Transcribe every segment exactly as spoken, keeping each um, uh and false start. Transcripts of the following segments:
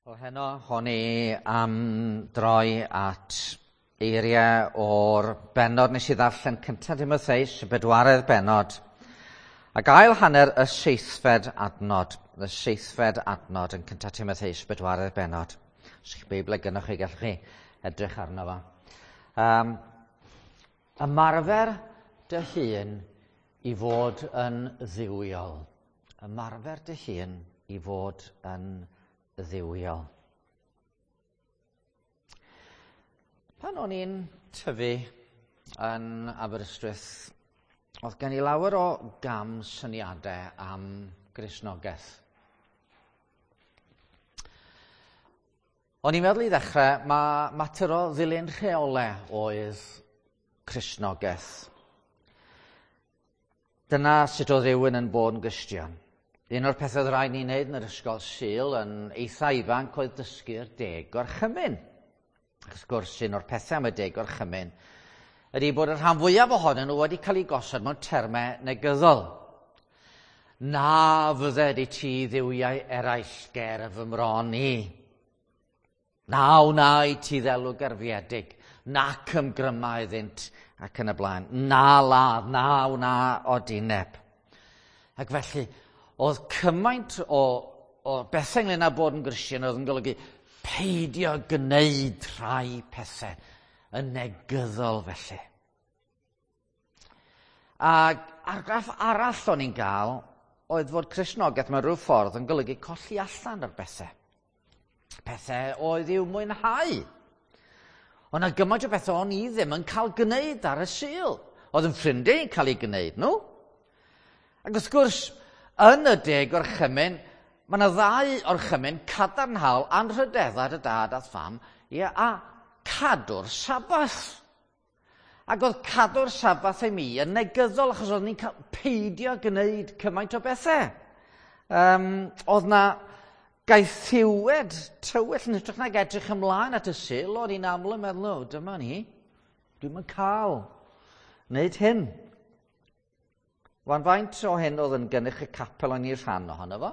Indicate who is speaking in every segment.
Speaker 1: Wel, heno, hon i am droi at eiriau o'r bennod nes i ddarllen cyntaf Timotheus, y bedwaredd bennod, ac ail hanner y seithfed adnod, y seithfed adnod yn cyntaf Timotheus, bedwaredd bennod. Os ych Beibl gynnwch chi, gallwch chi edrych arno fo. Um, ymarfer dy hun i fod yn dduwiol. Ymarfer dy hun i fod yn dduwiol. Pan o'n i'n tyfu yn Aberystwyth, oedd gen i lawer o gam syniadau am Gristnogaeth. O'n i'n meddwl i ddechrau, mae mater o ddilyn rheolau oedd Cristnogaeth. Dyna sut oedd rhywun yn bod yn Gristion. Un o'r pethau oedd rhaid ni wneud yn yr ysgol Sul yn eitha ifanc oedd dysgu'r deg gorchymyn. Ac wrth gwrs, un o'r pethau am y deg gorchymyn ydy bod y rhan fwyaf ohonyn nhw wedi cael eu gosod mewn termau negyddol. Na fydded i ti dduwiau eraill ger fy mron i. Na wna i ti ddelw gerfiedig, nac ymgryma iddynt ac yn y blaen. Na ladd, na wna odineb. Ac felly, oedd cymaint o, o bethau ynglyn â bod yn Gristion oedd yn golygu peidio gwneud rhai pethau yn negyddol felly. Ac argraff arall o'n i'n gael oedd fod Cristnogaeth mewn rhyw ffordd yn golygu colli allan ar bethau. Pethau oedd i'w mwynhau. Ond na gymaint o bethau o'n i ddim yn cael gwneud ar y Sul. Oedd yn ffrindiau yn cael eu gwneud nhw. Ac wrth gwrs, yn y deg orchymyn, mae yna ddau orchymyn cadarnhaol anrhydeddau dy dad a'r fam, ia, a cadw'r Sabath. Ac oedd cadw'r Sabath i mi yn negyddol achos oedd ni'n cael peidio gwneud cymaint o bethau. Um, oedd na gaethiwed tywyll yn hytrach nag edrych ymlaen at y Sul, o'n i'n aml yn meddwl, o, dyma ni, dwi'm yn cael wneud hyn. Wan faint o hyn oedd yn gynnyrch y capel o'n i'n rhan ohono fo,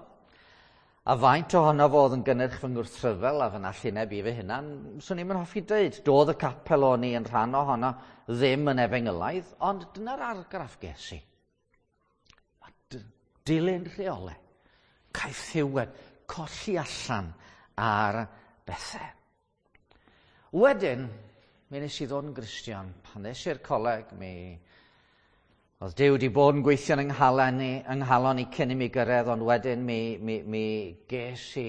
Speaker 1: a faint ohono fo oedd yn gynnyrch fy ngwrthryfel a fy nallineb i fy hunan, swn i'm yn hoffi dweud. Doedd y capel o'n i yn rhan ohono ddim yn efengylaidd, ond dyna'r argraff ges i. Dilyn rheolau, caethiwed, colli allan ar bethau. Wedyn, mi nes i ddod yn Gristion. Pan nes i'r coleg, mi oedd Duw wedi bod yn gweithio yng nghalon i, yng nghalon i cyn i mi gyrraedd, ond wedyn mi, mi, mi ges i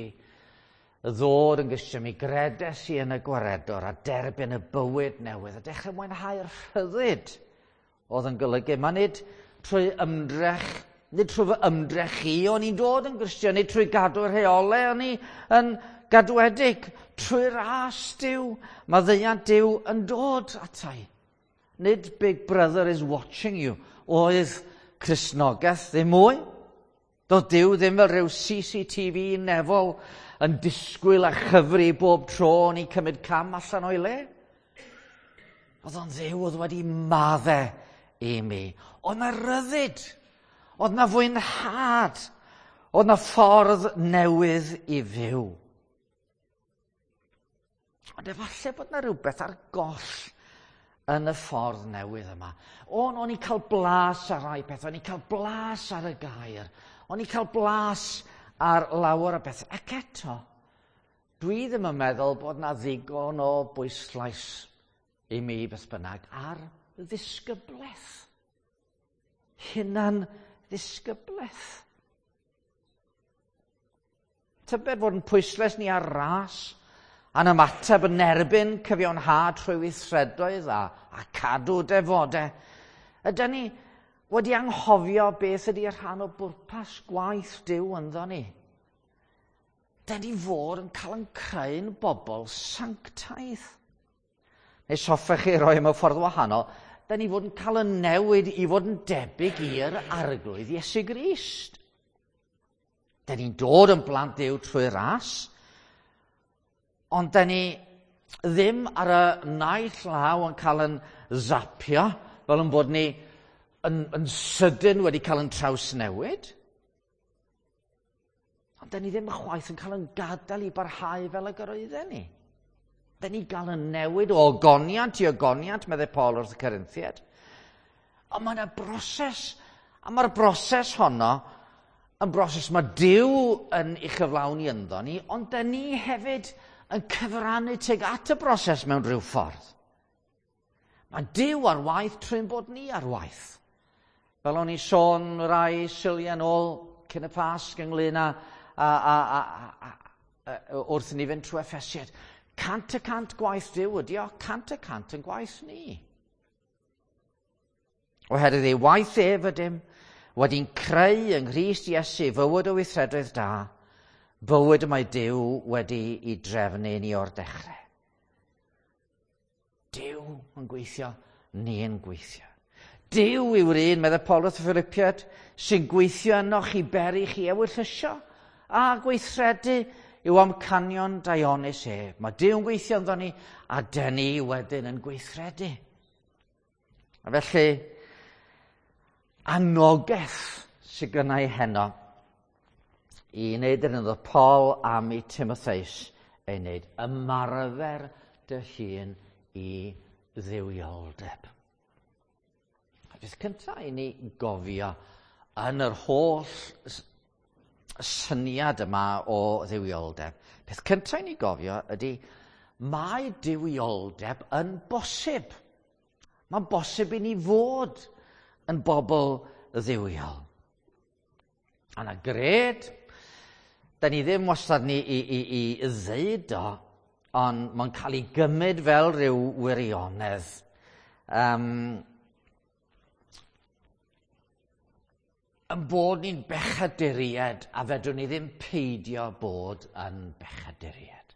Speaker 1: ddod yn Gristion, mi gredes i yn y gwaredwr a derbyn y bywyd newydd a dechrau mwynhau'r rhyddid oedd yn golygu. Mae nid trwy ymdrech, nid trwy fy ymdrech i o'n i'n dod yn Gristion, nid trwy gadw'r rheolau o'n i yn gadwedig, trwy ras Duw, maddeuant Duw yn dod atai. Nid Big Brother is watching you oedd Cristnogaeth ddim mwy. Doedd Duw ddim fel rhyw C C T V nefol yn disgwyl a chyfri bob tro o'n i'n cymryd cam allan o'i le. Oedd o'n Dduw oedd wedi maddau i mi. Oedd na ryddid, oedd na fwynhad, oedd na ffordd newydd i fyw. Ond efallai bod na rhywbeth ar goll yn y ffordd newydd yma. O'n, o'n i'n cael blas ar rai pethau, o'n i'n cael blas ar y gair, o'n i'n cael blas ar lawer o bethau. Ac eto, dwi ddim yn meddwl bod na ddigon o bwyslais i mi beth bynnag ar ddisgyblaeth. Hunan ddisgyblaeth. Tybed fod yn pwyslais ni ar ras, a'n ymateb yn erbyn cyfiawnhad trwy weithredoedd a, a cadw defodau. Ydyn ni wedi anghofio beth ydy rhan o bwrpas gwaith Duw ynddo ni? Dyn ni fod yn cael yn creu'n bobl sanctaidd. Neu hoffech chi roi mewn ffordd wahanol, dyn ni fod yn cael yn newid i fod yn debyg i'r Arglwydd Iesu Grist. Dyn ni'n dod yn blant Duw trwy ras, ond dyn ni ddim ar y naill law yn cael yn zapio, fel yn bod ni yn, yn sydyn wedi cael yn trawsnewid. Ond da ni ddim chwaith yn cael yn gadael i barhau fel y gyroedden ni. Da ni gael yn newid o ogoniant i ogoniant, meddai Paul wrth y Corinthiaid. Ond mae yna broses, a mae'r broses honno yn broses mae Duw yn ei chyflawni ynddo ni, ond da ni hefyd yn cyfrannu tuag at y broses mewn rhyw ffordd. Mae Duw ar waith trwy'n bod ni ar waith. Fel o'n i sôn rai Suliau nôl cyn y Pasg ynglyn â, a, a, a, a, a, wrth i ni fynd trwy Effesiaid. Cant y cant gwaith Duw ydi o, cant y cant yn gwaith ni. Oherwydd ei waith ef ydym, wedi'n creu yng Nghrist Iesu fywyd o weithredoedd da, bywyd y mae Duw wedi i drefnu ni o'r dechrau. Duw yn gweithio, ni yn gweithio. Duw yw'r un, meddai Paul wrth y Philippiaid, sy'n gweithio ynoch i beri chi ewyllysio a gweithredu i'w amcanion daionus ef. Mae Duw yn gweithio ynddo ni, a dyn ni wedyn yn gweithredu. A felly, anogaeth sydd gynna i heno i wneud yr un oedd Paul am i Timotheus ei wneud. Ymarfer dy hun i dduwioldeb. A peth cyntaf i ni gofio yn yr holl syniad yma o dduwioldeb, peth cyntaf i ni gofio ydy mae duwioldeb yn bosib. Mae'n bosib i ni fod yn bobl dduwiol. A na gred, da ni ddim wastad ni i, i, i ddeud o, ond mae'n cael ei gymryd fel rhyw wirionedd. Um, yn bod ni'n bechaduriaid a fedrwn ni ddim peidio bod yn bechaduriaid.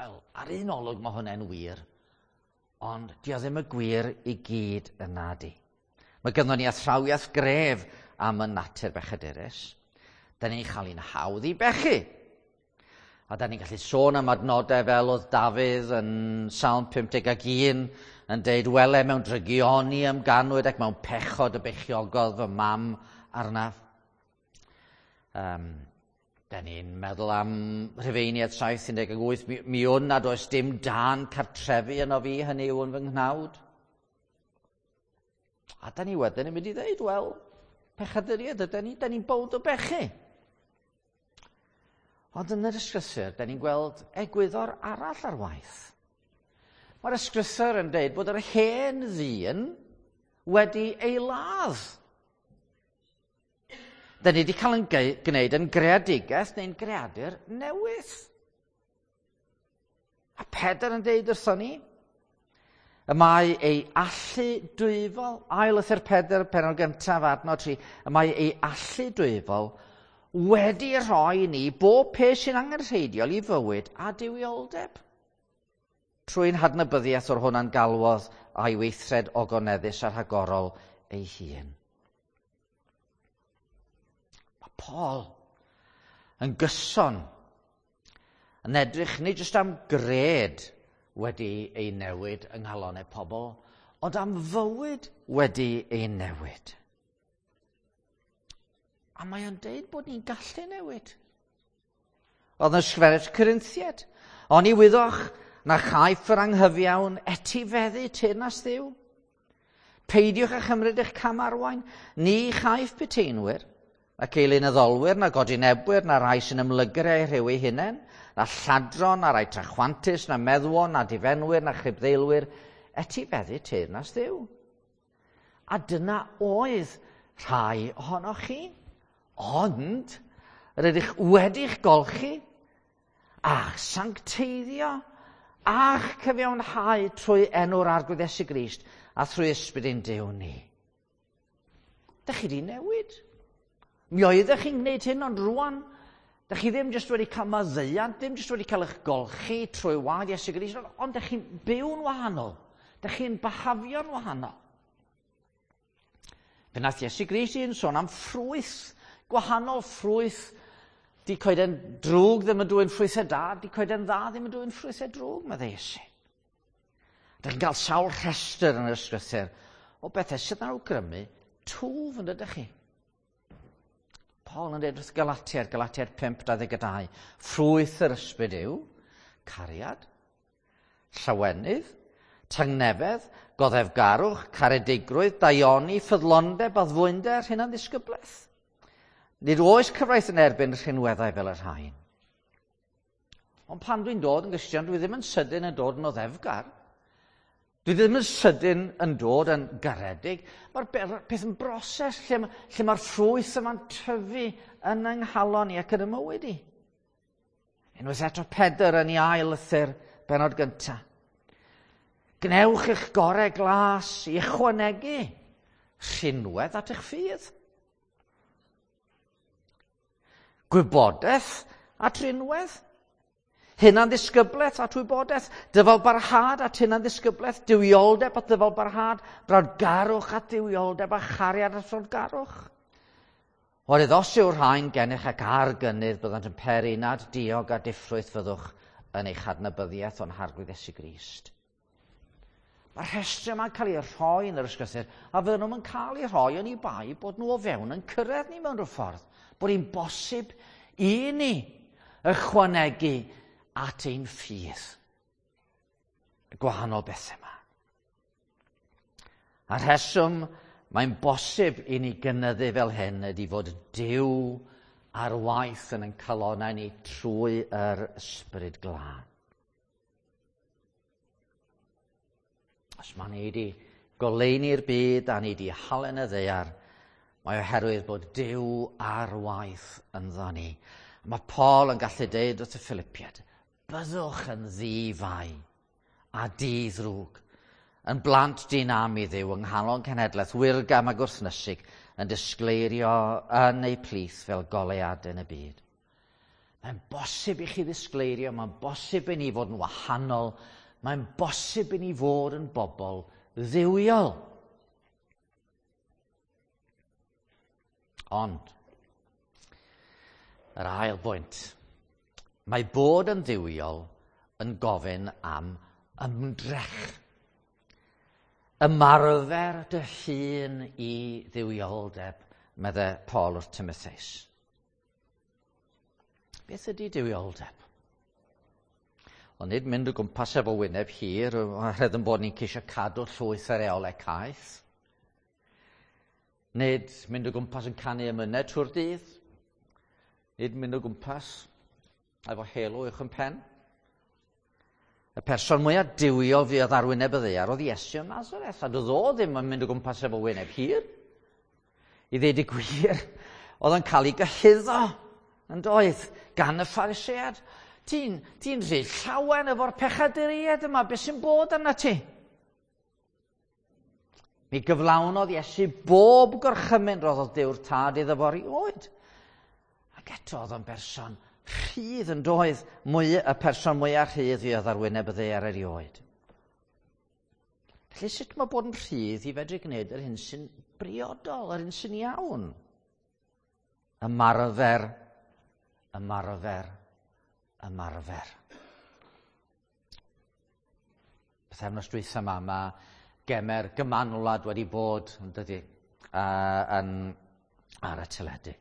Speaker 1: Wel, ar un olwg mae hwnna'n wir, ond dio ddim y gwir i gyd yna di. Mae gynnon ni athrawiaeth gref am y natur bechadurus. Da ni'n cael ein hawdd i bechu. A da ni'n gallu sôn am adnodau fel oedd Dafydd yn Salm pum deg ac un yn deud, wele mewn drygioni ymganwyd ac mewn pechod y beichiogodd fy mam arnaf. Um, da ni'n meddwl am Rhufeiniaid saith un deg wyth, mi, mi wn nad oes dim dan cartrefi yno fi, hynny yw yn fy nghnawd. A da ni wedyn yn mynd i ddeud, wel, pechaduriaid ydy ni, da ni'n bownd o bechu. Ond yn yr ysgrythur, da ni'n gweld egwyddor arall ar waith. Mae'r ysgrythur yn deud bod yr hen ddyn wedi ei ladd. Da ni wedi cael yn gwneud yn greadigaeth neu'n greadur newydd. A Pedr yn deud wrthon ni, y mae ei allu dwyfol, ail lythyr Pedr, pennod gyntaf, adnod tri, y mae ei allu dwyfol wedi rhoi ni bob peth sy'n angenrheidiol i fywyd a duwioldeb. Trwy'n hadnabyddiaeth o'r hwnna'n galwodd a'i weithred ogoneddus a rhagorol ei hun. Mae Paul yn gyson yn edrych nid jyst am gred wedi ei newid yng nghalonnau pobl, ond am fywyd wedi ei newid. A mae o'n deud bod ni'n gallu newid. Oedd yn ysgrifennu Corinthiaid, oni wyddoch na chaiff yr anghyfiawn etifeddu teyrnas Dduw. Peidiwch â chymryd eich camarwain, ni chaiff puteinwyr, ac eilunaddolwyr, na godinebwyr, na rai sy'n ymlygru eu rhyw eu hunain, na lladron, na rai trachwantus, na meddwon, na difenwyr, na chribddeilwyr, etifeddu teyrnas Dduw. A dyna oedd rhai ohonoch chi. Ond, rydych wedi'ch golchi, a'ch sancteiddio, a'ch cyfiawnhau trwy enw'r Arglwydd Iesu Grist a thrwy ysbryd ein Duw ni. Dych chi di newid. Mi oeddech chi'n gwneud hyn, ond rwan, dych chi ddim jyst wedi cael maddeuant, ddim jyst wedi cael eich golchi trwy waed Iesu Grist, ond dych chi'n byw'n wahanol. Dych chi'n behafio'n wahanol. Fe nath Iesu Grist un sôn am ffrwyth, gwahanol ffrwyth. Di coeden drwg ddim yn dwyn ffrwythau da, di coeden dda ddim yn dwyn ffrwythau drwg, meddai Iesu. Dych chi'n cael sawl rhestr yn yr ysgrythur o bethau sydd yn awgrymu twf yn dydych chi. Paul yn dweud wrth Galatiaid, Galatiaid pump dau ddeg dau, ffrwyth yr ysbryd yw cariad, llawenydd, tangnefedd, goddefgarwch, caredigrwydd, daioni, ffyddlondeb, addfwynder, hunanddisgyblaeth. Nid oes cyfraith yn erbyn rhinweddau fel y rhain. Ond pan dwi'n dod yn Gristion, dwi ddim yn sydyn yn dod yn oddefgar. Dwi ddim yn sydyn yn dod yn garedig. Mae'r peth yn broses lle, lle mae'r ffrwyth yma'n tyfu yn yng nghalon i ac yn y mywyd i. Unwaith eto Pedr yn ei ail lythyr benod gyntaf. Gnewch eich gorau glas i ychwanegu rhinwedd at eich ffydd. Gwybodaeth at rinwedd. Hunanddisgyblaeth at wybodaeth, dyfalbarhad at hunanddisgyblaeth, duwioldeb at ddyfalbarhad, brawdgarwch at duwioldeb a chariad at frawdgarwch. Oherwydd os yw'r rhain gennych ac ar gynnydd, byddant yn peri nad diog a diffrwyth fyddwch yn eich adnabyddiaeth o'n Harglwydd Iesu Grist. Mae'r rhestr yma'n cael ei rhoi yn yr ysgrythur, a fydden nhw'n cael ei rhoi yn ei bai bod nhw o fewn yn cyrraedd ni mewn rhyw ffordd, bod hi'n bosib i ni ychwanegu at ein ffydd. Y gwahanol bethau yma. A rheswm mae'n bosib i ni gynyddu fel hyn ydy fod Duw ar waith yn ein calonnau ni trwy yr Ysbryd Glân. Os mae ni wedi goleuni'r byd a ni wedi halen y ddaear, mae oherwydd bod Duw ar waith ynddo ni. Mae Paul yn gallu deud wrth y Philippiaid, byddwch yn ddifai a di-ddrwg, yn blant dyn-am i Dduw yng nghalon cenhedlaeth wirgam a gwrthnysig, yn disgleirio yn eu plith fel goleuadau yn y byd. Mae'n bosib i chi ddisgleirio, mae'n bosib i ni fod yn wahanol, mae'n bosib i ni fod yn bobl dduwiol. Ond, yr ail bwynt, mae bod yn dduwiol yn gofyn am ymdrech. Ymarfer dy hun i dduwioldeb, meddai Paul wrth Timotheus. Beth ydy duwioldeb? Ond nid mynd o gwmpas efo wyneb hir, oherwydd yn bod ni'n ceisio cadw llwyth ar reolau caeth. Nid mynd o gwmpas yn canu emynau trwy'r dydd. Nid mynd o gwmpas efo halo uwch yn pen. Y person mwyaf duwiol fuodd ar wyneb y ddaear oedd Iesu o Nazareth, a doedd o ddim yn mynd o gwmpas efo wyneb hir. I ddeud y gwir, oedd yn cael ei gyhuddo yn doedd gan y Phariseaid. Ti'n ti rhy llawen efo'r pechaduriaid yma, beth sy'n bod arna ti? Mi gyflawnodd Iesu bob gorchymyn roddodd Duw'r Tad iddo fo erioed. Ac eto oedd o'n berson rhydd yn doedd, mwy, y person mwyaf rhydd fuodd ar wyneb y ddaear erioed. Felly sut mae bod yn rhydd i fedru gwneud yr hyn sy'n briodol, yr hyn sy'n iawn? Ymarfer, ymarfer, ymarfer. Pythefnos dwytha yma, mae gemer gymanwlad wedi bod yn dydy, uh, yn, ar y teledu.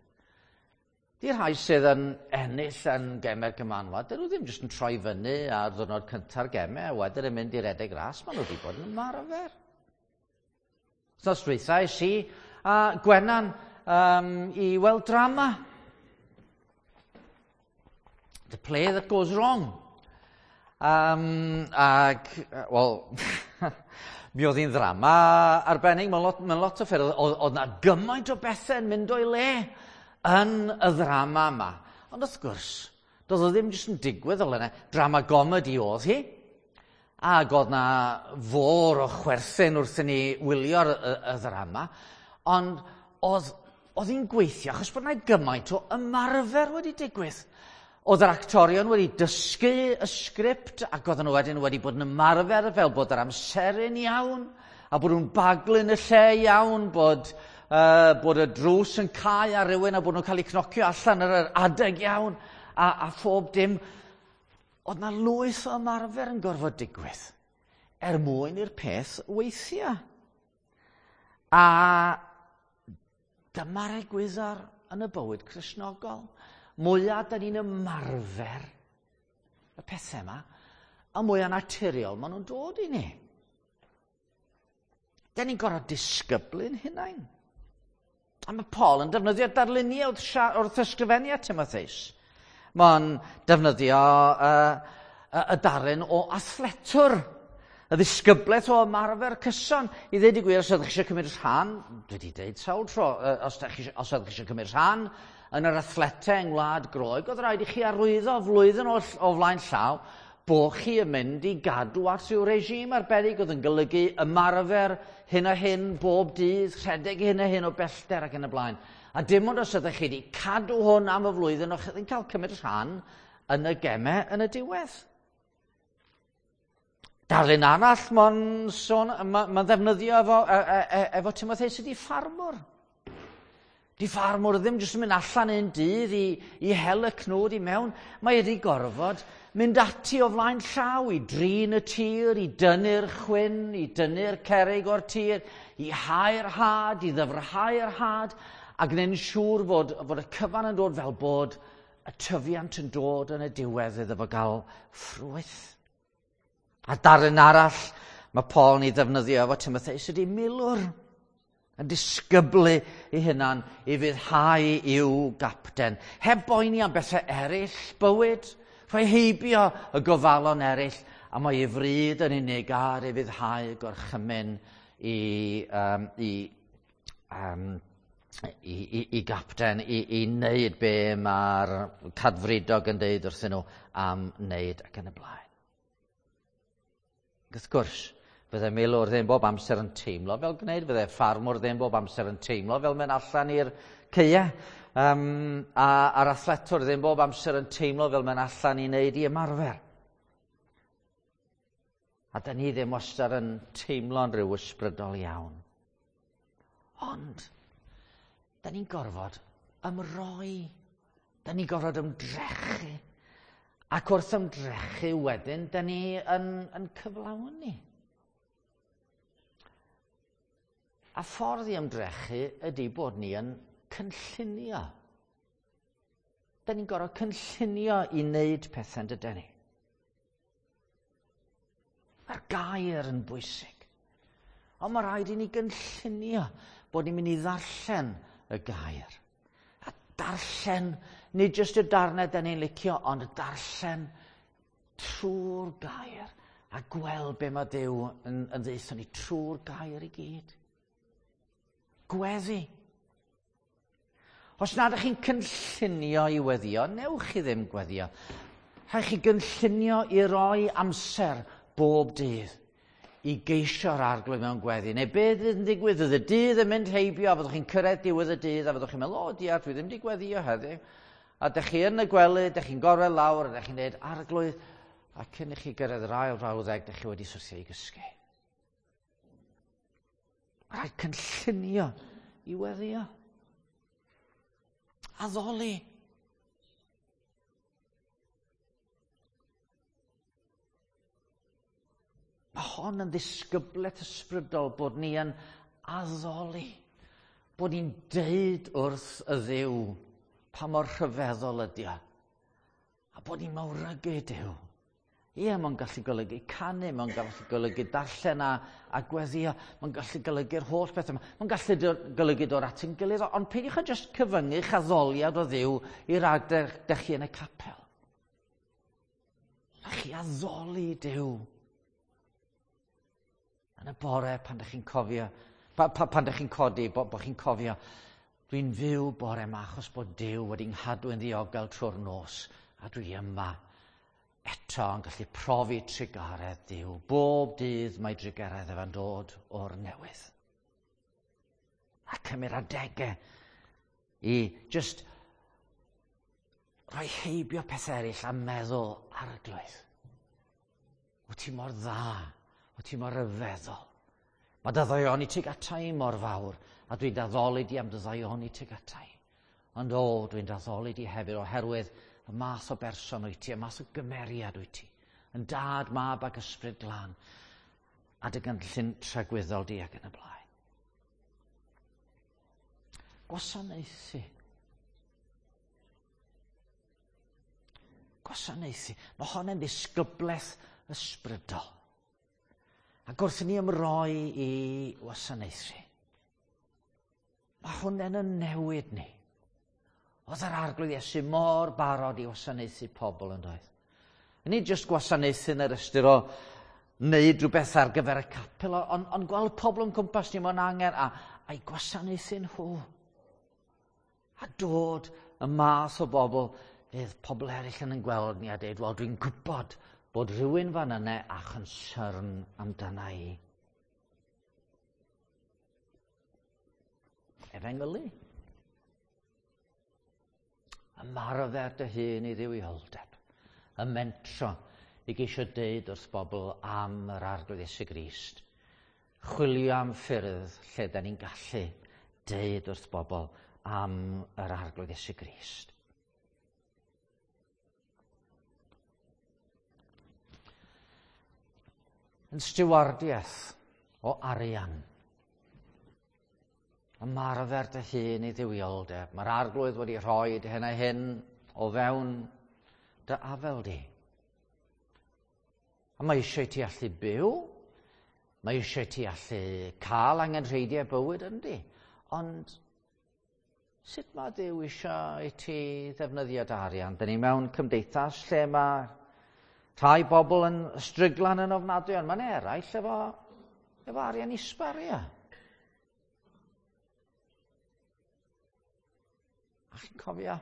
Speaker 1: Di'r rhai sydd yn ennill yn gemau'r gymanwlad, dyn nhw ddim jyst yn troi fyny ar ddwrnod cynta'r gemau, a wedyn yn mynd i redeg ras, maen nhw wedi bod yn ymarfer. Wythnos dwytha es i a Gwenan um, i weld drama. The Play That Goes Wrong. Um, ag, wel, mi oedd hi'n ddrama arbennig, mewn lot, mewn lot o ffyrdd, oedd na gymaint o bethau yn mynd o'i le yn y ddrama yma. Ond wrth gwrs, doedd o ddim jyst yn digwydd fel yna. Drama gomedi oedd hi. Ac oedd na fôr o chwerthin wrth i ni wylio'r y, y ddrama. Ond oedd, oedd hi'n gweithio achos bod yna gymaint o ymarfer wedi digwydd. Oedd yr actorion wedi dysgu y sgript ac oedden nhw wedyn wedi bod yn ymarfer fel bod yr amseru'n iawn a bod nhw'n baglu'n y lle iawn, bod, uh, bod y drws yn cau ar rywun a bod nhw'n cael eu cnocio allan ar yr adeg iawn a, a phob dim. Oedd na lwyth o ymarfer yn gorfod digwydd er mwyn i'r peth weithio. A dyma'r egwyddor yn y bywyd Cristnogol, mwyaf da ni'n ymarfer y pethau yma, a mwyaf naturiol maen nhw'n dod i ni. Da ni'n gorfod disgyblu'n hunain. A mae Paul yn defnyddio darluniau wrth, wrth ysgrifennu at Timotheus. Mae'n defnyddio uh, y darlun o athletwr, y ddisgyblaeth o ymarfer cyson. I ddweud y gwir, os ydych chi eisiau cymryd rhan, dwi wedi dweud sawl tro, os ydych chi, os ydych chi eisiau cymryd rhan yn yr athletau yng Ngwlad Groeg, oedd rhaid i chi arwyddo flwyddyn o, o flaen llaw bod chi yn mynd i gadw at ryw regime arbennig oedd yn golygu ymarfer hyn a hyn bob dydd, rhedeg hyn a hyn o bellter ac yn y blaen. A dim ond os ydych chi wedi cadw hwn am y flwyddyn, o'ch chi'n cael cymryd rhan yn y gemau yn y diwedd. Darlun arall mae'n sôn, mae'n ma ddefnyddio efo, e, e, e, efo Timotheus ydy ffarmwr. Di ffarmwr ddim jyst yn mynd allan un dydd i, i hel y cnwd i mewn. Mae wedi gorfod mynd ati o flaen llaw i drin y tir, i dynnu'r chwyn, i dynnu'r cerrig o'r tir, i hau'r had, i ddyfrhau'r had, a gwneud yn siŵr fod, fod y cyfan yn dod fel bod y tyfiant yn dod yn y diwedd iddo fo gael ffrwyth. A darlun arall mae Paul yn ei ddefnyddio efo Timotheus ydy milwr yn disgyblu ei hunan i fuddhau i'w gapten. Heb boeni am bethau eraill bywyd, rhoi heibio y gofalon eraill, a mae ei fryd yn unig ar ei fuddhau gorchymyn i, um, i, um, i, i, i gapten i, i wneud be mae'r cadfridog yn deud wrthyn nhw am wneud ac yn y blaen. Wrth gwrs, fydde milwr ddim bob amser yn teimlo fel gwneud, fydde ffarmwr ddim bob amser yn teimlo fel mynd allan i'r caeau, um, a, a'r athletwr ddim bob amser yn teimlo fel mynd allan i wneud i ymarfer. A da ni ddim wastad yn teimlo'n rhyw ysbrydol iawn. Ond, da ni'n gorfod ymroi, da ni'n gorfod ymdrechu. Ac wrth ymdrechu wedyn, da ni yn, yn cyflawni. A ffordd i ymdrechu ydy bod ni yn cynllunio. Da ni'n gorfod cynllunio i wneud pethau, dydyn ni. Mae'r gair yn bwysig. Ond mae rhaid i ni gynllunio bod ni'n mynd i ddarllen y gair. A darllen, nid jyst y darnau da ni'n licio, ond darllen trwy'r gair a gweld be mae Duw yn, yn ddeutho ni trwy'r gair i gyd. Gweddi. Os nad ydych chi'n cynllunio i weddio, newch chi ddim gweddio. Rhaid chi gynllunio i roi amser bob dydd i geisio'r Arglwydd mewn gweddi. Neu beth fydd yn digwydd? Fydd y dydd yn mynd heibio, a fyddwch chi'n cyrraedd diwedd y dydd, a fyddwch chi'n meddwl, o diar, dwi ddim wedi gweddio heddiw. A dych chi yn y gwely, dych chi'n gorwedd lawr, a dych chi'n dweud, Arglwydd, a cyn i chi gyrraedd yr ail frawddeg, dych chi wedi syrthio i gysgu. Rhaid cynllunio i weddio. Addoli. Mae hon yn ddisgyblaeth ysbrydol bod ni yn addoli, bod ni'n deud wrth y Dduw pa mor rhyfeddol ydi o, a bod ni'n mawrygu Duw. Ie, mae'n gallu golygu canu, mae'n gallu golygu darllen a, a gweddio, mae'n gallu golygu'r holl beth yma, mae'n gallu golygu dod at ein gilydd, ond peidiwch â jyst cyfyngu'ch addoliad o Dduw i rag dych chi yn y capel. A chi addoli Duw. Yn y bore pan dych chi'n cofio, pa, pa, pan dych chi'n codi, bo, bo chi'n cofio, dwi'n fyw bore yma achos bod Duw wedi nghadw yn ddiogel trwy'r nos, a dwi yma eto yn gallu profi trugaredd Duw. Bob dydd mae trugaredd efo'n dod o'r newydd. A cymryd adegau i just rhoi heibio pethau eraill a meddwl, Arglwydd, wyt ti mor dda, wyt ti mor ryfeddol. Mae dy ddaioni tuag ata i mor fawr, a dwi'n daddoli di am dy ddaioni tuag ata i. Ond o, dwi'n daddoli di hefyd oherwydd y math o berson wyt ti, y math o gymeriad wyt ti, yn dad, mab ac ysbryd glân, a dy gynllun tragwyddol di ac yn y blaen. Gwasanaethu. Gwasanaethu. Mae hon yn ddisgyblaeth ysbrydol. Ac wrth i ni ymroi i wasanaethu, mae hwnna'n yn newid ni. Oedd yr Arglwydd Iesu mor barod i wasanaethu pobl yn doedd. Nid jyst gwasanaethu yn yr ystyr o wneud rhywbeth ar gyfer y capel, ond on gweld pobl yn cwmpas ni mewn angen a, a'i gwasanaethu nhw. A dod y math o bobl fydd pobl eraill yn gweld ni a dweud, wel, dwi'n gwybod bod rhywun fan yna a concern amdana i. Efengylu. Ymarfer dy hun i dduwioldeb. Y mentro i geisio deud wrth bobl am yr Arglwydd Iesu Grist. Chwilio am ffyrdd lle da ni'n gallu deud wrth bobl am yr Arglwydd Iesu Grist. Yn stiwardiaeth o arian. Ymarfer dy hun i dduwioldeb. Mae'r Arglwydd wedi rhoi hyn a hyn o fewn dy afel di. A mae eisiau ti allu byw, mae eisiau ti allu cael angenrheidiau bywyd yndi. Ond sut mae Duw eisiau i ti ddefnyddio dy arian? Dyn ni mewn cymdeithas lle mae rhai bobl yn stryglan yn ofnadwy, ond mae'n eraill efo, efo arian i sbario. A chi'n cofio?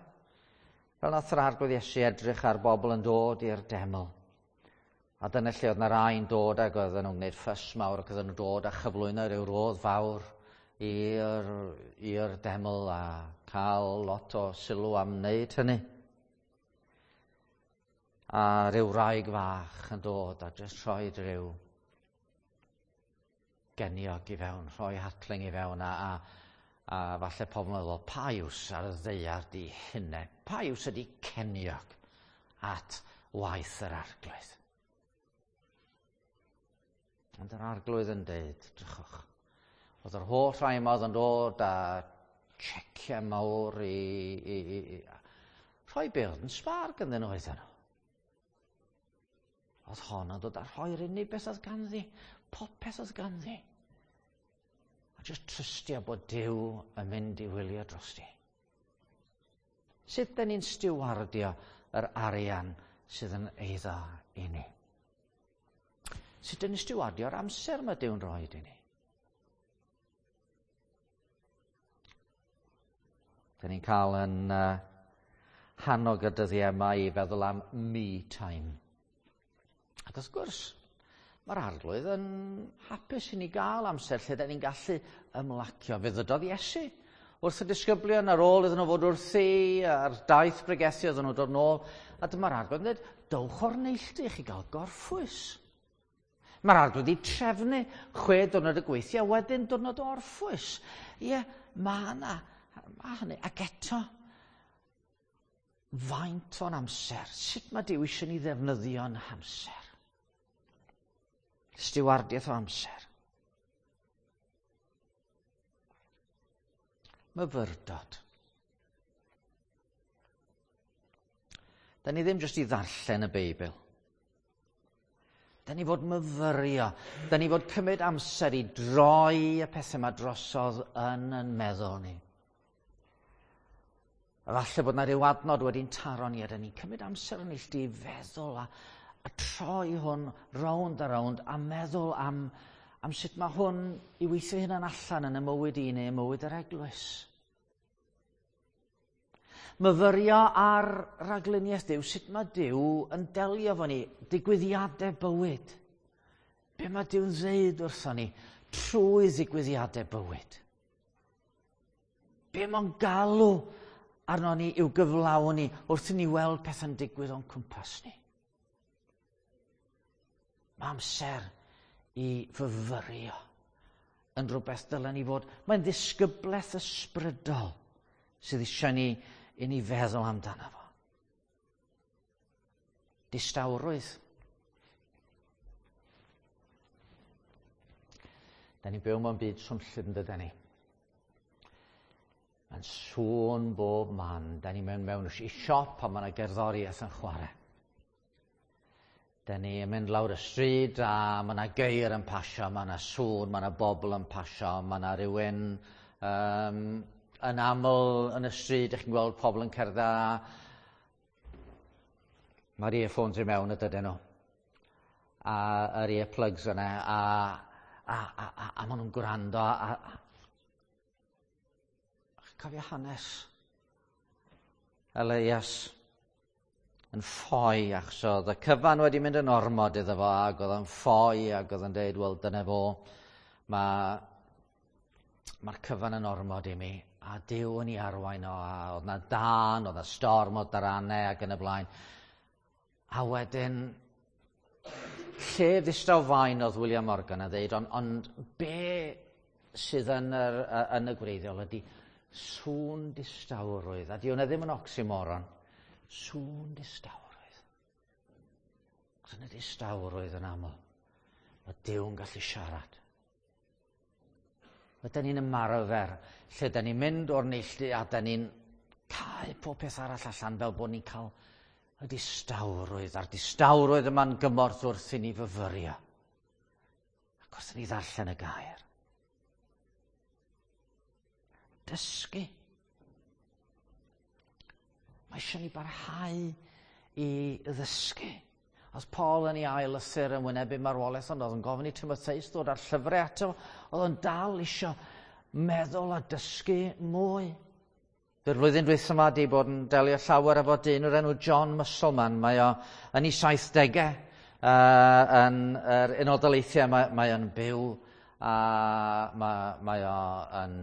Speaker 1: Fel nath yr Arglwydd Iesu edrych ar bobl yn dod i'r deml. A dyna lle oedd na rai'n dod ac oedden nhw'n gwneud ffys mawr ac oedden nhw'n dod a chyflwyno rhyw rodd fawr i'r, i'r deml a cael lot o sylw am wneud hynny. A rhyw wraig fach yn dod a jyst rhoi rhyw geniog i fewn, rhoi hatling i fewn a, a, a falle pobl yn meddwl, pa iws ar y ddaear di hynne? Pa iws ydi ceniog at waith yr Arglwydd? Ond yr Arglwydd yn deud, drychwch, oedd yr holl rhai yma oedd yn dod â checiau mawr i, i, i, i rhoi be oedd yn sbâr ganddyn nhw oedden nhw. Oedd hon yn dod â rhoi'r unig beth oedd ganddi, popeth oedd ganddi. A jyst trystio bod Duw yn mynd i wylio drosti. Sut dyn ni'n stiwardio yr arian sydd yn eiddo i ni? Sut dyn ni'n stiwardio'r amser mae Duw'n rhoi i ni? Dyn ni'n cael yn uh, hannog y dyddiau yma i feddwl am me time. Ac wrth gwrs, mae'r Arglwydd yn hapus i ni gael amser lle dyn ni'n gallu ymlacio. Fe ddydodd Iesu wrth y disgyblion ar ôl iddyn nhw fod wrthi, ar daith bregethu oedden nhw dod nôl, a dyma'r Arglwydd yn dweud, dowch o'r neilltu i chi gael gorffwys. Mae'r Arglwydd wedi trefnu chwe diwrnod y gweithio, a wedyn diwrnod o orffwys. Ie, mae yna, mae hynny. Ac eto, faint o'n amser? Sut mae Duw eisiau ni ddefnyddio'n hamser? Stiwardiaeth o amser. Myfyrdod. Da ni ddim jyst i ddarllen y Beibl. Da ni fod myfyrio. Da ni fod cymryd amser i droi y pethau yma drosodd yn yn meddwl ni. Falle bod na ryw adnod wedi'n taro ni a da ni'n cymryd amser yn neilltu i feddwl a, a troi hwn rownd a rownd a meddwl am, am sut mae hwn i weithio hynna'n allan yn y mywyd i neu y mywyd yr eglwys. Myfyrio ar ragluniaeth Duw, sut mae Duw yn delio efo ni, digwyddiadau bywyd. Be mae Duw'n ddeud wrthon ni trwy ddigwyddiadau bywyd. Be mae'n galw arno ni i'w gyflawni wrth i ni weld pethau'n digwydd o'n cwmpas ni. Mae amser i fyfyrio yn rhywbeth dylen ni fod. Mae'n ddisgyblaeth ysbrydol sydd eisiau ni i ni feddwl amdano fo. Distawrwydd. Da ni'n byw mewn byd swnllyd yn dydan ni. Mae'n sŵn bob man. Da ni'n mewn mewn i siop a mae yna gerddoriaeth yn chwarae. Da ni yn mynd lawr y stryd a mae yna geir yn pasio, mae yna sŵn, mae yna bobl yn pasio, mae yna rhywun um, yn aml yn y stryd, ych chi'n gweld pobl yn cerdded a mae'r earphones i mewn y dydyn nhw. A yr earplugs yna, a, a, a, a, a maen nhw'n gwrando. A, a, cofio hanes Elias yn ffoi achos oedd y cyfan wedi mynd yn ormod iddo fo ac oedd yn ffoi ac oedd yn deud, wel dyna fo, mae'r ma cyfan yn ormod i mi a Duw yn ei arwain o a oedd na dân, oedd na storm o daranau ac yn y blaen. A wedyn, lle ddistaw fain oedd William Morgan yn dweud, ond, ond be sydd yn, yr, yn y gwreiddiol ydy sŵn distawrwydd. A di hwnna ddim yn oxymoron. Sŵn distawrwydd. Os yn y distawrwydd yn aml, mae Duw yn gallu siarad. Ydy ni'n ymarfer lle da ni'n mynd o'r neilltu a da ni'n cau pob peth arall allan fel bod ni'n cael y distawrwydd. A'r distawrwydd yma'n gymorth wrth i ni fyfyrio. Ac wrth i ni ddarllen y gair. Dysgu. Mae eisiau ni barhau i ddysgu. Oedd Paul yn ei ail lythyr yn wynebu marwolaeth, ond oedd yn gofyn i Timotheus ddod â'r llyfrau ato. Oedd o'n dal eisiau meddwl a dysgu mwy. Dy'r flwyddyn dwytha yma di bod yn delio llawer efo dyn o'r enw John Musselman. Mae o yn ei saithdegau uh, yn yr Unol Daleithiau. Mae, mae o'n byw a mae, mae o yn...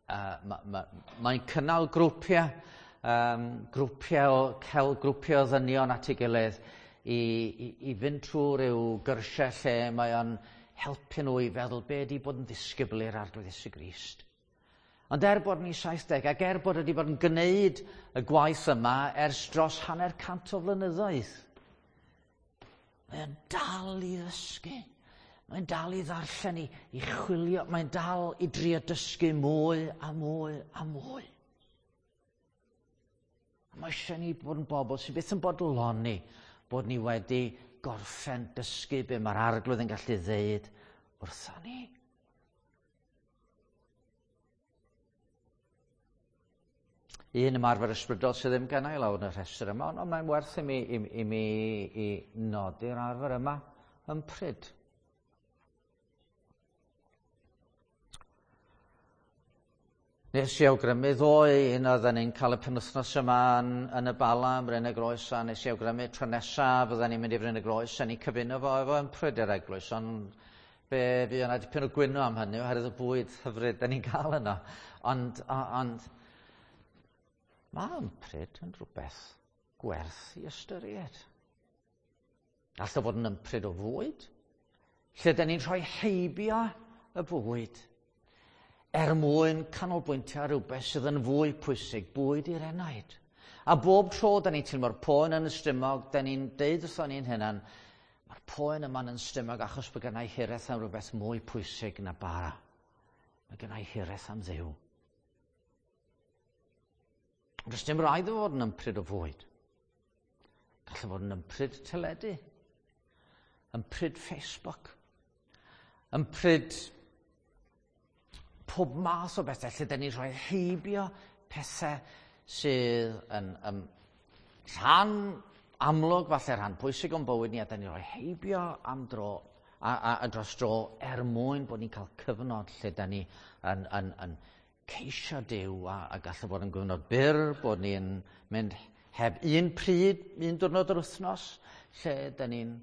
Speaker 1: Uh, mae, mae, mae'n cynnal grwpiau um, grwpiau, o, cel grwpiau o ddynion at ei gilydd i, i, i fynd trwy ryw gyrsiau lle mae o'n helpu nhw i feddwl be ydi bod yn ddisgybl i'r Arglwydd Iesu Grist. Ond er bod ni saithdeg ac er bod wedi bod yn gwneud y gwaith yma ers dros hanner cant o flynyddoedd, mae o'n dal i ddysgu. Mae'n dal i ddarllen, i, i chwilio, mae'n dal i drio dysgu mwy a mwy a mwy. Mae eisiau ni bod yn bobl sydd byth yn bodloni bod ni wedi gorffen dysgu be mae'r Arglwydd yn gallu ddeud wrtho ni. Un ymarfer ysbrydol sydd ddim gennau i lawr yn y rhestr yma, ond mae'n werth i mi, i, i mi i nodi'r arfer yma yn pryd. Nes i awgrymu ddoe, un oedden ni'n cael y penwythnos yma yn, yn y Bala, ym Mryn y Groes, a nes i awgrymu tro nesaf fydden ni'n mynd i Bryn y Groes, a ni'n cyfuno fo efo ympryd yr eglwys, ond fe fi yna dipyn o gwyno am hynny, oherwydd y bwyd hyfryd da ni'n cael yno. Ond, ond mae ympryd yn rhywbeth gwerth i ystyried. All o fod yn ympryd o fwyd, lle da ni'n rhoi heibio y bwyd, er mwyn canolbwyntio ar rhywbeth sydd yn fwy pwysig, bwyd i'r enaid. A bob tro da ni'n teimlo'r poen yn y stumog, da ni'n deud wrthon ni'n hunan, mae'r poen yma'n yn stumog achos bod gennau hiraeth am rhywbeth mwy pwysig na bara. Mae gennau hiraeth am Dduw. Ond does dim rhaid o fod yn ympryd o fwyd. Gall fod yn ympryd teledu, ympryd Facebook, ympryd pob math o bethau lle da ni'n rhoi heibio pethau sydd yn, yn rhan amlwg, falle rhan pwysig o'n bywyd ni, a da ni'n rhoi heibio am dro, a, a, a dros dro er mwyn bod ni'n cael cyfnod lle da ni yn, yn, yn ceisio Duw a, a gallu bod yn gyfnod byr, bod ni'n mynd heb un pryd, un diwrnod yr wythnos, lle da ni'n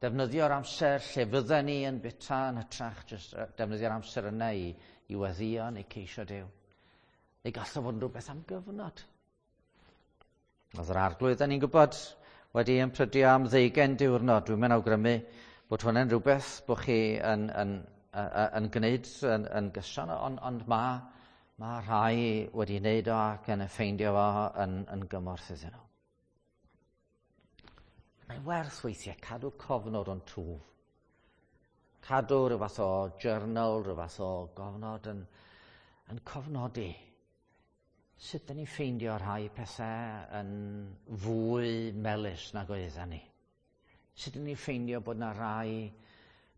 Speaker 1: defnyddio'r amser lle fydden ni yn bita yn hytrach, jyst defnyddio'r amser yna i, i weddïo neu ceisio Duw. Neu gall o fod yn rhywbeth am gyfnod. Oedd yr Arglwydd, da ni'n gwybod, wedi ymprydio am ddeugain diwrnod. Dwi'n mynd awgrymu bod hwnna'n rhywbeth bod chi yn, yn, yn, yn gwneud yn, yn gyson, ond, ond mae ma rhai wedi wneud o ac yn ffeindio fo yn, yn gymorth iddyn nhw. Mae'n werth weithiau cadw cofnod o'n twf. Cadw rhyw fath o journal, rhyw fath o gofnod yn, yn cofnodi. Sut dyn ni'n ffeindio rhai pethau yn fwy melys nag oedden ni? Sut ydyn ni'n ffeindio bod yna rai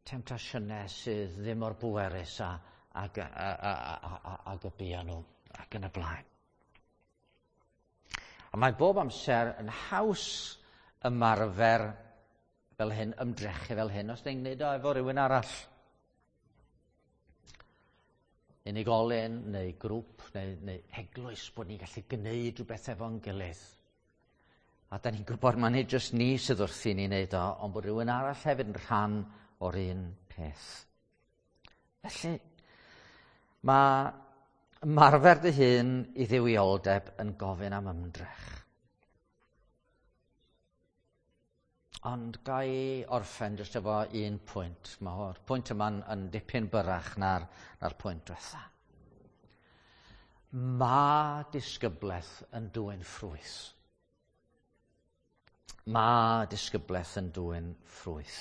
Speaker 1: temtasiynau sydd ddim mor bwerus a, ag, a, a, a, a, ag y buon nhw ac yn y blaen. A mae bob amser yn haws ymarfer fel hyn, ymdrechu fel hyn, os ni'n gwneud o efo rhywun arall. Unigolyn neu grŵp neu, neu eglwys bod ni'n gallu gwneud rhywbeth efo'n gilydd. A da ni'n gwybod mai nid jyst ni sydd wrthi ni'n neud o, ond bod rhywun arall hefyd yn rhan o'r un peth. Felly, mae ymarfer dy hun i dduwioldeb yn gofyn am ymdrech. Ond ga i orffen jyst efo un pwynt. Mae'r pwynt yma'n yn dipyn byrrach na'r, na'r pwynt diwetha. Mae disgyblaeth yn dwyn ffrwyth. Mae disgyblaeth yn dwyn ffrwyth.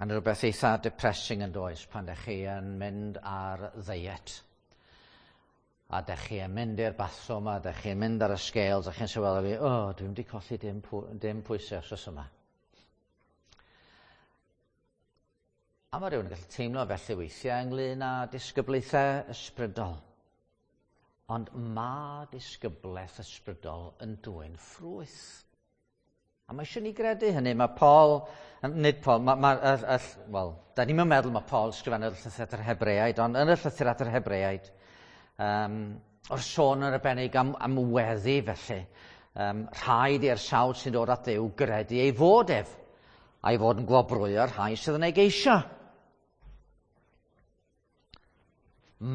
Speaker 1: A 'na rhywbeth eitha depressing yn does pan ydych chi yn mynd ar ddiet. A ydych chi yn mynd i'r bathroom a ydych chi'n mynd ar y scales a chi'n sylweddoli, o, oh, dwi'n wedi colli dim, dim pwysau wsos yma. A mae rhywun yn gallu teimlo felly weithiau ynglyn â disgyblaethau ysbrydol. Ond mae disgyblaeth ysbrydol yn dwyn ffrwyth. A mae eisiau ni gredu hynny. Mae Paul, nid Paul, mae, ma, y, y, wel, da ni'n meddwl mae Paul sgrifennodd y llythyr at yr Hebreaid, ond yn y llythyr at yr Hebreaid, um, o'r sôn yn arbennig am, am weddi felly, um, rhaid i'r sawl sy'n dod at Dduw gredu ei fod ef, a'i fod yn gwobrwyo'r rhai sydd yn ei geisio.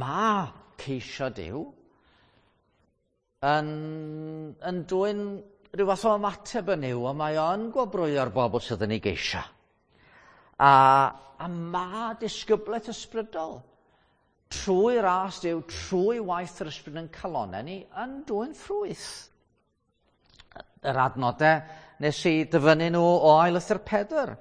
Speaker 1: Mae ceisio Duw yn, yn dwyn rhyw fath o ymateb yn yw, ond mae o'n gwobrwyo'r bobl sydd yn ei geisio. A, a mae disgyblaeth ysbrydol trwy ras Duw, trwy waith yr ysbryd yn calonau ni, yn dwyn ffrwyth. Yr adnodau nes i dyfynnu nhw o Ail Lythyr Pedr.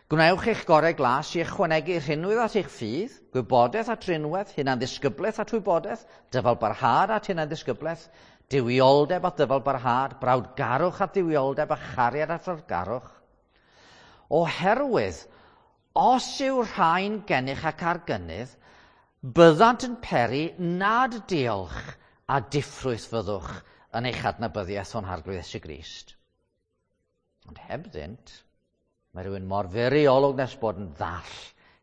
Speaker 1: Gwnewch eich gorau glas i ychwanegu rhinwedd at eich ffydd, gwybodaeth at rinwedd, hunanddisgyblaeth at wybodaeth, dyfalbarhad at hunanddisgyblaeth, duwioldeb at ddyfalbarhad, brawdgarwch at dduwioldeb a chariad at frawdgarwch. Oherwydd, os yw rhain gennych ac ar gynnydd, byddant yn peri nad diolch a diffrwyth fyddwch yn eich adnabyddiaeth o'n Harglwydd Iesu Grist. Ond hebddynt, mae rhywun mor fyr ei olwg nes bod yn ddall,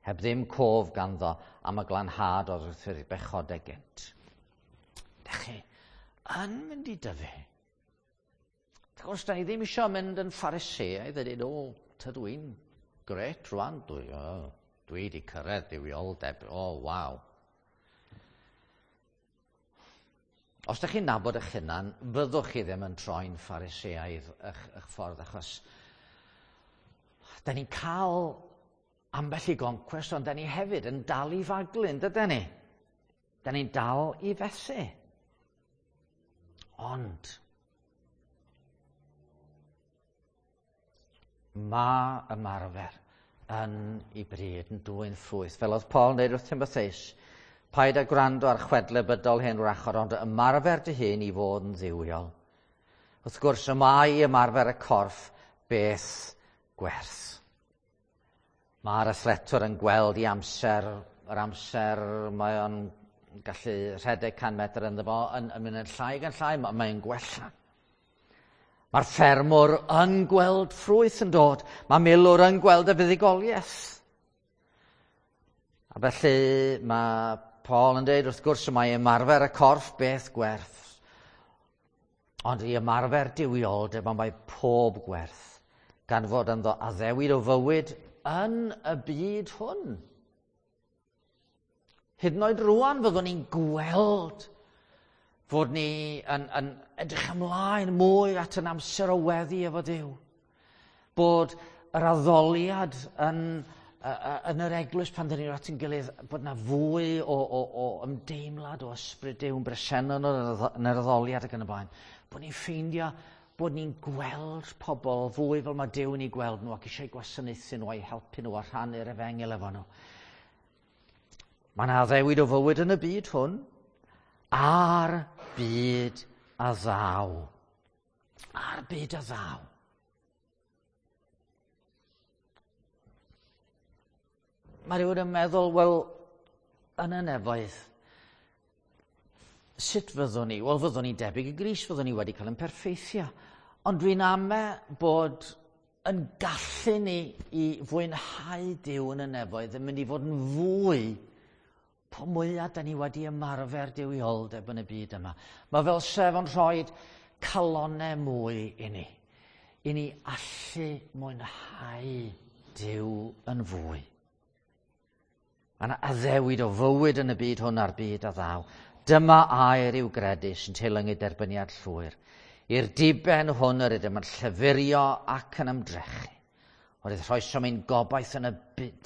Speaker 1: heb ddim cof ganddo am y glanhad o'r wrth ei bechodau gynt. Dach chi yn mynd i dyfu. Wrth gwrs, da ni ddim eisiau mynd yn Phariseaidd a dweud, o, tydw i'n gret rwan, dwi, oh, dwi wedi cyrraedd duwioldeb, o, oh, waw. Os ydych chi'n nabod eich hunan, fyddwch chi ddim yn troi'n Phariseaidd eich, eich ffordd, achos da ni'n cael ambell i goncwest, ond da ni hefyd yn dal i faglu, yn dydyn ni? Da ni'n dal i fethu. Ond mae ymarfer yn ei bryd yn dwyn ffrwyth. Fel oedd Paul yn dweud wrth Timotheus, paid â gwrando ar chwedle bydol hen wrachod, ond ymarfer dy hun i fod yn dduwiol. Wrth gwrs, y mae ymarfer y corff beth gwerth. Mae'r athletwr yn gweld i amser, yr amser mae o'n gallu rhedeg can metr ynddo fo, yn, yn mynd yn llai gan llai, mae'n gwella. Mae'r ffermwr yn gweld ffrwyth yn dod. Mae milwr yn gweld y fuddugoliaeth. A felly mae Paul yn dweud, wrth gwrs, mae ymarfer y corff beth gwerth. Ond i ymarfer duwioldeb, mae pob gwerth, gan fod ynddo addewid o fywyd yn y byd hwn. Hyd yn oed rwan fyddwn ni'n gweld fod ni yn, yn edrych ymlaen mwy at yn amser o weddi efo Duw. Bod yr addoliad yn, yn yr eglwys pan dyn ni'n at yn gilydd, bod yna fwy o, o, o ymdeimlad o ysbryd Duw yn bresennol yn yr addoliad ac yn y blaen. Bod ni'n ffeindio bod ni'n gweld pobl fwy fel mae Duw yn eu gweld nhw ac eisiau gwasanaethu nhw a'i helpu nhw a rhannu'r efengyl efo nhw. Mae yna addewid o fywyd yn y byd hwn, a'r byd a ddaw. A'r byd a ddaw. Mae rhywun yn meddwl, wel, yn y nefoedd, sut fyddwn ni? Wel, fyddwn ni'n debyg i Grist, fyddwn ni wedi cael yn perffeithio. Ond dwi'n ame bod yn gallu ni i fwynhau Duw yn y nefoedd yn mynd i fod yn fwy po mwyaf da ni wedi ymarfer duwioldeb yn y byd yma. Mae fel sef yn rhoi calonnau mwy i ni, i ni allu mwynhau Duw yn fwy. Mae yna addewid o fywyd yn y byd hwn a'r byd a ddaw. Dyma air i'w gredu sy'n teilyngu derbyniad llwyr. I'r diben hwn yr ydym yn llyfurio ac yn ymdrechu. Oherwydd rhoesom ein gobaith yn y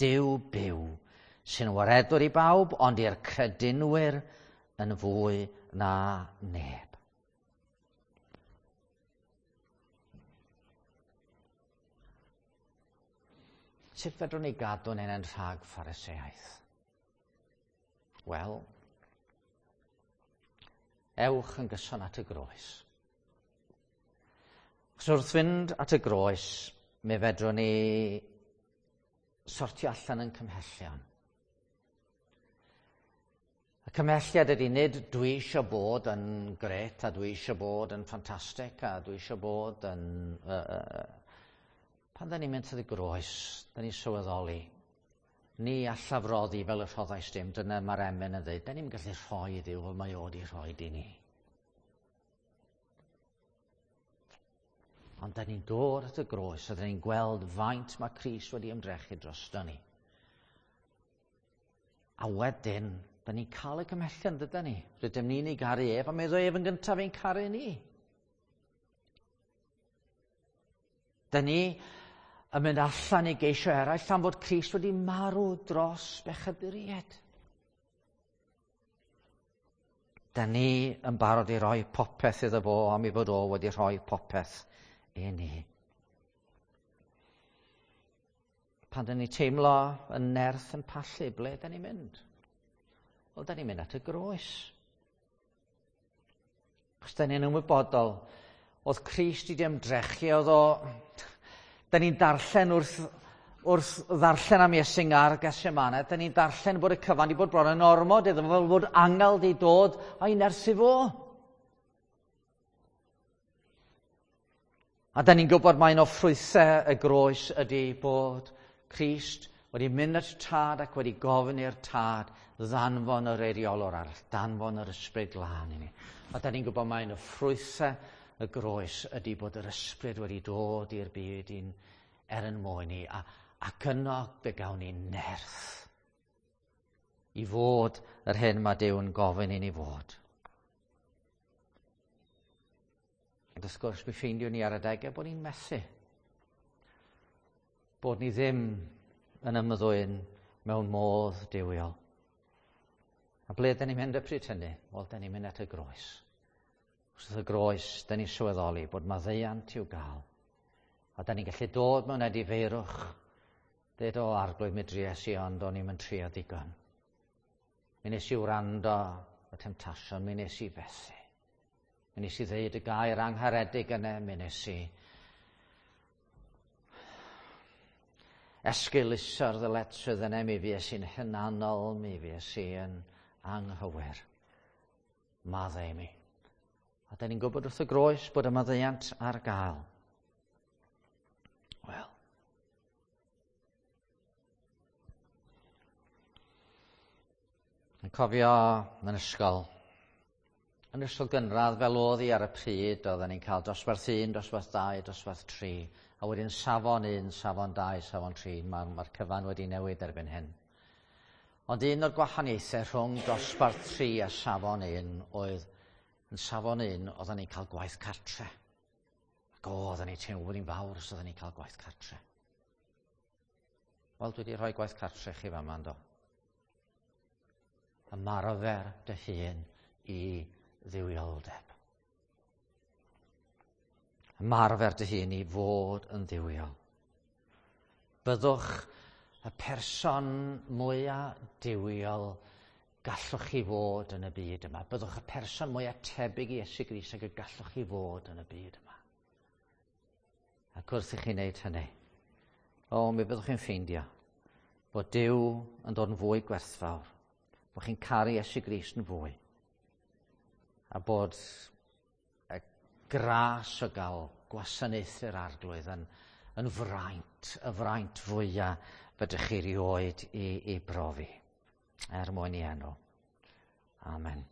Speaker 1: Duw byw, sy'n waredwr i bawb, ond i'r credinwyr yn fwy na neb. Sut fedrwn ni gadw'n hunain rhag Phariseaeth? Wel, ewch yn gyson at y groes. Achos wrth fynd at y groes, mi fedrwn ni sortio allan yn cymhellion. Y cymhelliad ydy nid dwi eisiau bod yn gret a dwi eisiau bod yn ffantastig a dwi eisiau bod yn... Uh, uh, pan da ni'n mynd at y groes, da ni'n sylweddoli, ni allaf roddi fel y rhoddais dim, dyna mae'r emyn yn dweud, da ni'n gallu rhoi i Dduw fel mae o wedi rhoi i ni. Ond da ni'n dod at y groes a da ni'n gweld faint mae Crist wedi ymdrechu drosto ni. A wedyn, da ni'n cael y cymhellion, dyda ni? Rydym ni'n ei garu ef, a meddwl ef yn gyntaf ein caru ni. Da ni yn mynd allan i geisio eraill am fod Crist wedi marw dros bechaduriaid. Da ni yn barod i roi popeth iddo fo am ei fod o wedi rhoi popeth i ni. Pan da ni teimlo yn nerth yn pallu, ble da ni'n mynd? Wel, da ni'n mynd at y groes. Os da ni'n ymwybodol, oedd Crist wedi ymdrechu, oedd o... Da ni'n darllen wrth, wrth ddarllen am Iesu ar Gethsemane, da ni'n darllen bod y cyfan wedi bod bron yn ormod iddo fo, fel bod angel wedi dod a'i nerthu fo. A da ni'n gwybod mai un o ffrwythau y groes ydy bod Crist wedi mynd at y Tad ac wedi gofyn i'r Tad ddanfon yr eiriolwr arall, danfon yr Ysbryd Glân i ni. A da ni'n gwybod mai un o ffrwythau y groes ydy bod yr Ysbryd wedi dod i'r byd i'n er yn mwyn ni, a, ac yno fe gawn ni nerth i fod yr hyn mae Duw yn gofyn i ni fod. Ond wrth gwrs, mi ffeindiwn ni ar adegau bod ni'n methu. Bod ni ddim yn ymddwyn mewn modd duwiol. A ble dyn ni'n mynd y pryd hynny? Wel, dyn ni'n mynd at y groes. Wrth y groes, dyn ni'n sylweddoli bod maddeuant i'w gael. A dyn ni'n gallu dod mewn edifeirwch. Dweud, o, Arglwydd, mi dries i, ond o'n i'm yn trio digon. Mi nes i wrando y temtasiwn, mi nes i fethu. Mi nes i ddeud y gair angharedig yna, mi nes i esgeuluso'r ddyletswydd yna, mi fues i'n hunanol, mi fues i yn anghywir. Maddau i mi. A da ni'n gwybod wrth y groes bod y maddeuant ar gael. Wel. Yn cofio yn ysgol, yn ysgol gynradd fel oedd hi ar y pryd, oedden ni'n cael dosbarth un, dosbarth dau, dosbarth tri, a wedyn safon un, safon dau, safon tri, mae'r ma cyfan wedi newid erbyn hyn. Ond un o'r gwahaniaethau rhwng dosbarth tri a safon un oedd, yn safon un, oedden ni'n cael gwaith cartre. Ac o, oedden ni'n teimlo bod ni'n fawr os oedden ni'n cael gwaith cartre. Wel, dwi wedi rhoi gwaith cartre chi fama, yndo? Ymarfer dy hun i dduwioldeb. Ymarfer dy hun i fod yn dduwiol. Byddwch y person mwyaf duwiol gallwch chi fod yn y byd yma. Byddwch y person mwyaf tebyg i Iesu Grist ag y gallwch chi fod yn y byd yma. Ac wrth i chi wneud hynny, o, mi byddwch chi'n ffeindio Bod Duw yn dod yn fwy gwerthfawr, bod chi'n caru Iesu Grist yn fwy, a bod y gras o gael gwasanaethu'r Arglwydd yn, yn fraint, y fraint fwyaf fedrwch chi rioed i, i brofi, er mwyn ei enw. Amen.